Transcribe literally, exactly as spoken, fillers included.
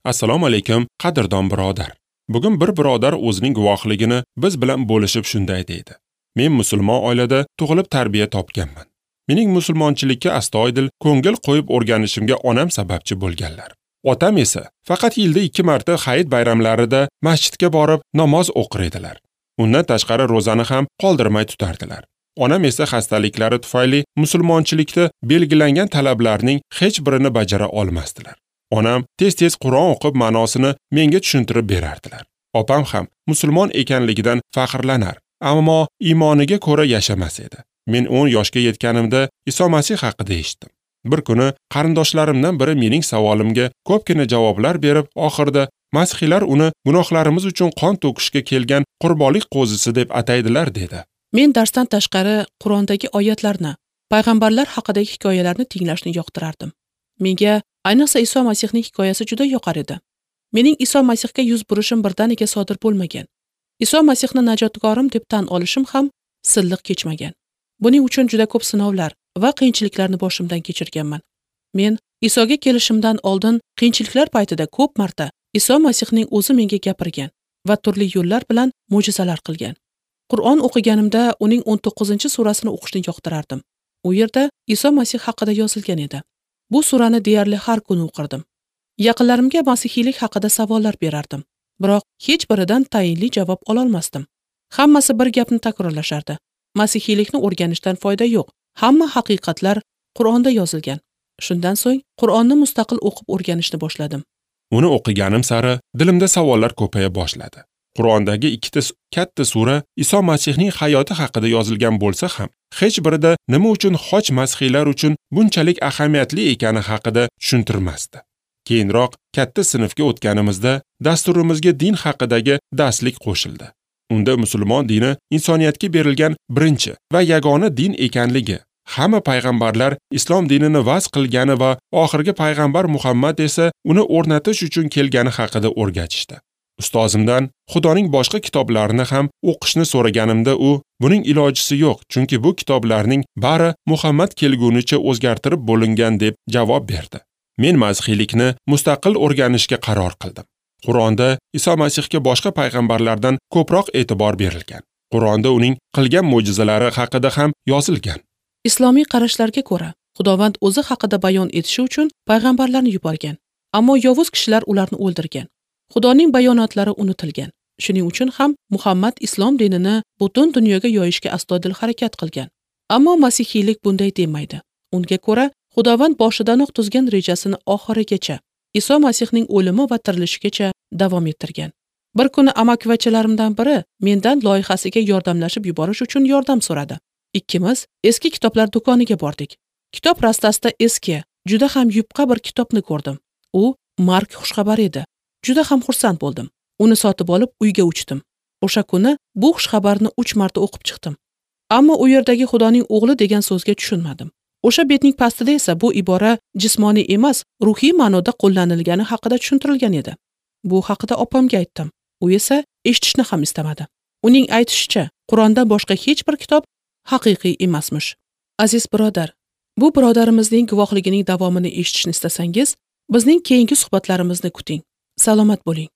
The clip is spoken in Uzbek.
Assalomu alaykum, qadrdon birodar. Bugun bir birodar o'zining guvohligini biz bilan bo'lishib shunday deydi. Men musulmon oilada tug'ilib tarbiya topganman. Mening musulmonchilikka astoydil ko'ngil qo'yib o'rganishimga onam sababchi bo'lganlar. Otam esa faqat yilda ikki marta hayit bayramlarida masjidga borib namoz o'qir edilar. Undan tashqari ro'zani ham qoldirmay tutardilar. Onam esa xastaliklari tufayli musulmonchilikda belgilangan talablarning hech birini bajara olmasdilar. Onam tez-tez Qur'on o'qib ma'nosini menga tushuntirib berardilar. Opam ham musulmon ekanligidan faxrlanar, ammo iymoniga ko'ra yashamas edi. Men o'n yoshga yetganimda Iso Masih haqida eshitdim. Bir kuni qarindoshlarimdan biri mening savolimga ko'pgina javoblar berib, oxirida masihiylar uni gunohlarimiz uchun qon to'kishga kelgan qurbonlik qo'zisi deb ataydilar dedi. Men darsdan tashqari Qur'ondagi oyatlarni, payg'ambarlar haqidagi hikoyalarni tinglashni yoqtirardim. Menga ayniqsa Iso Masihning hikoyasi juda yoqar edi. Mening Iso Masihga yuz burishim birdaniga sodir bo'lmagan. Iso Masihni najotgorim deb tan olishim ham silliq kechmagan. Buning uchun juda ko'p sinovlar va qiyinchiliklarni boshimdan kechirganman. Men Isoga kelishimdan oldin qiyinchiliklar paytida ko'p marta Iso Masihning o'zi menga gapirgan va turli yo'llar bilan mo'jizalar qilgan. Qur'on o'qiganimda uning o'n to'qqizinchi surasini o'qishni yoqtirardim. U yerda Iso Masih haqida yozilgan edi. Bu surani deyarli har kuni o'qirdim. Yaqinlarimga masihiylik haqida savollar berardim, biroq hech biridan tayinli javob ololmasdim. Hammasi bir gapni takrorlashardi. Masihiylikni o'rganishdan foyda yo'q. Hamma haqiqatlar Qur'onda yozilgan. Shundan so'ng Qur'onni mustaqil o'qib o'rganishni boshladim. Uni o'qiganim sari dilimda savollar ko'paya boshladi. Qur'ondagi ikkita katta sura Iso Masihning hayoti haqida yozilgan bo'lsa ham, hech birida nima uchun xoch masihiylar uchun bunchalik ahamiyatli ekani haqida tushuntirmasdi. Keyinroq katta sinfga o'tganimizda dasturimizga din haqidagi darslik qo'shildi. Unda musulmon dini insoniyatga berilgan birinchi va yagona din ekanligi, hamma payg'ambarlar islom dinini vaz qilgani va oxirgi payg'ambar Muhammad esa uni o'rnatish uchun kelgani haqida o'rgatishdi. Ustozimdan Xudoning boshqa kitoblarini ham o'qishni so'raganimda u buning ilojisi yo'q, chunki bu kitoblarning bari Muhammad kelgunicha o'zgartirib bo'lingan deb javob berdi. Men masihiylikni mustaqil o'rganishga qaror qildim. Qur'onda Iso Masihga boshqa payg'ambarlardan ko'proq e'tibor berilgan. Qur'onda uning qilgan mo'jizalari haqida ham yozilgan. Islomiy qarashlarga ko'ra, Xudovand o'zi haqida bayon etishi uchun payg'ambarlarni yuborgan, ammo yovuz kishilar ularni o'ldirgan. Xudoning bayonotlari unutilgan. Shuning uchun ham Muhammad islom dinini butun dunyoga yoyishga astoydil harakat qilgan. Ammo masihiylik bunday demaydi. Unga ko'ra, Xudovand boshidanoq tuzgan rejasini oxirigacha, Iso Masihning o'limi va tirilishigacha davom ettirgan. Bir kuni amakivachalarimdan biri mendan loyihasiga yordamlashib yuborish uchun yordam so'radi. Ikkimiz eski kitoblar do'koniga bordik. Kitob rastasida eski, juda ham yupqa bir kitobni ko'rdim. U Mark xushxabari edi. Juda ham xursand bo'ldim. Uni sotib olib uyga uchdim. O'sha kuni bu xushxabarni uch marta o'qib chiqdim. Ammo u yerdagi Xudoning o'g'li degan so'zga tushunmadim. O'sha betning pastida esa bu ibora jismoniy emas, ruhiy ma'noda qo'llanilgani haqida tushuntirilgan edi. Bu haqida opamga aytdim. U esa eshitishni ham istamadi. Uning aytishicha, Qur'ondan boshqa hech bir kitob haqiqiy emasmish. Aziz birodar, bu birodarimizning guvohligining davomini eshitishni istasangiz, bizning keyingi suhbatlarimizni kuting. Salomat bo'ling.